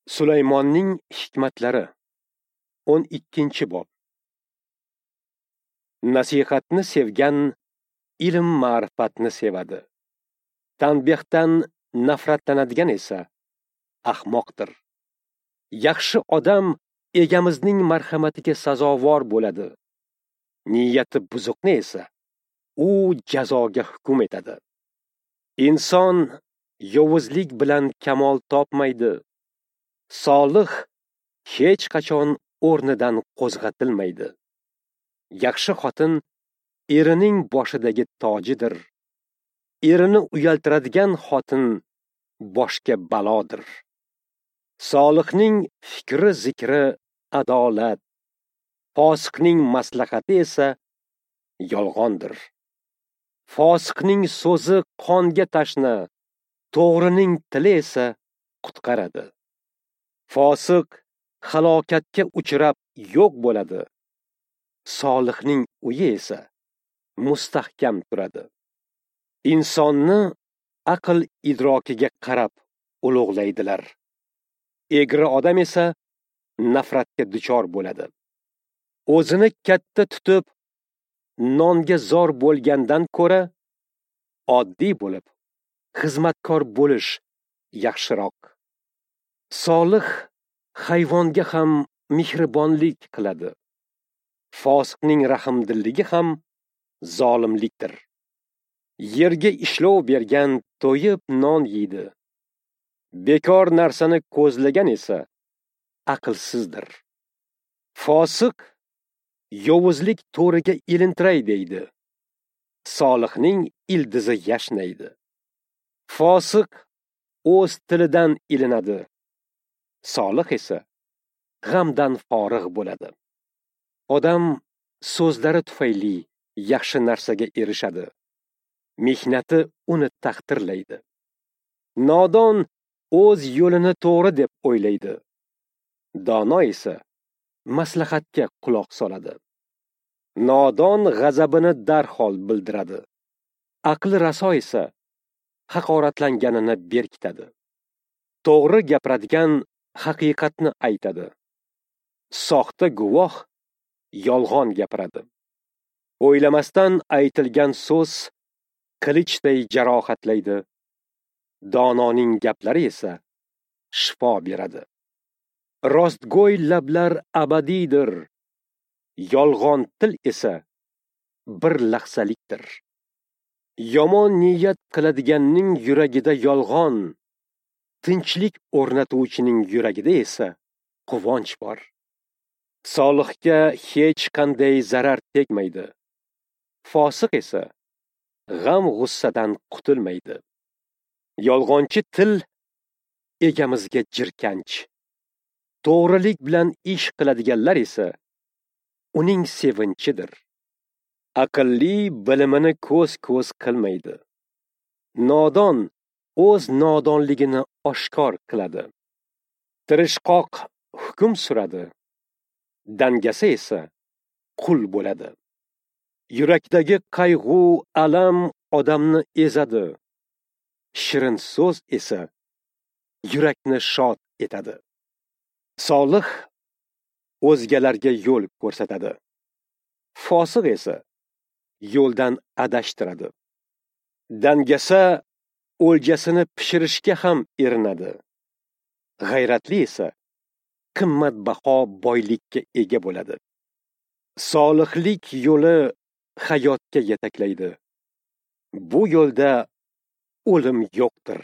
Sulaymonning hikmatlari 12-bob. Nasihatni sevgan ilm ma'rifatni sevadi. Tanbehdan nafratlanadigan esa ahmoqdir. Yaxshi odam egamizning marhamatiga sazovor bo'ladi. Niyati buzuqni esa u jazoga hukm etadi. Inson yovuzlik bilan kamol topmaydi. Solih hech qachon o'rnidan qo'zg'atilmaydi. Yaxshi xotin erining boshidagi tojidir. Erini uyaltiradigan xotin boshga balodir. Solihning fikri zikri adolat, fosiqning maslahati esa yolg'ondir. Fosiqning so'zi qonga tashna, to'g'rining tili esa qutqaradi. Fosiq halokatga uchrab yo'q bo'ladi. Solihning uyi esa mustahkam turadi. Insonni aql idrokiga qarab ulug'laydilar. Egri odam esa nafratga duchor bo'ladi. O'zini katta tutib nonga zor bo'lgandan ko'ra oddiy bo'lib xizmatkor bo'lish yaxshiroq. Solih hayvonga ham mehribonlik qiladi. Fosiqning rahmdilligi ham zolimlikdir. Yerga ishlov bergan to'yib non yeydi. Bekor narsani ko'zlagan esa aqlsizdir. Fosiq yovuzlik to'riga ilintiray deydi. Solihning ildizi yashnaydi. Fosiq o'z tilidan ilinadi. Solih esa g'amdan forig' bo'ladi. Odam so'zlari tufayli yaxshi narsaga erishadi. Mehnati uni taqdirlaydi. Nodon o'z yo'lini to'g'ri deb o'ylaydi. Dono esa maslahatga quloq soladi. Nodon g'azabini darhol bildiradi. Aqli raso esa haqoratlanganini berkitadi. To'g'ri gapiradigan haqiqatni aytadi. Soxta guvoh yolg'on gapiradi. O'ylamasdan aytilgan so'z qilichday jarohatlaydi. Dononing gaplari esa shifo beradi. Rostgo'y lablar abadiydir. Yolg'on til esa bir lahzalikdir. Yomon niyat qiladiganning yuragida yolg'on, tinchlik o'rnatuvchining yuragida esa quvonch bor. Solihga hech qanday zarar tegmaydi. Fosiq esa g'am-g'ussadan qutulmaydi. Yolg'onchi til egamizga jirkanch. To'g'rilik bilan ish qiladiganlar esa uning sevinchidir. Aqlli bilimini ko'z-ko'z qilmaydi. Nodon o'z nodonligini oshkor qiladi. Tirishqoq hukm suradi. Dangasa esa qul bo'ladi. Yurakdagi qayg'u, alam odamni ezadi. Shirin so'z esa yurakni shod etadi. Solih o'zgalarga yo'l ko'rsatadi. Fosiq esa yo'ldan adashtiradi. Dangasa o'ljasini pishirishga ham erinadi. G'ayratli esa qimmatbaho boylikka ega bo'ladi. Solihlik yo'li hayotga yetaklaydi. Bu yo'lda o'lim yo'qdir.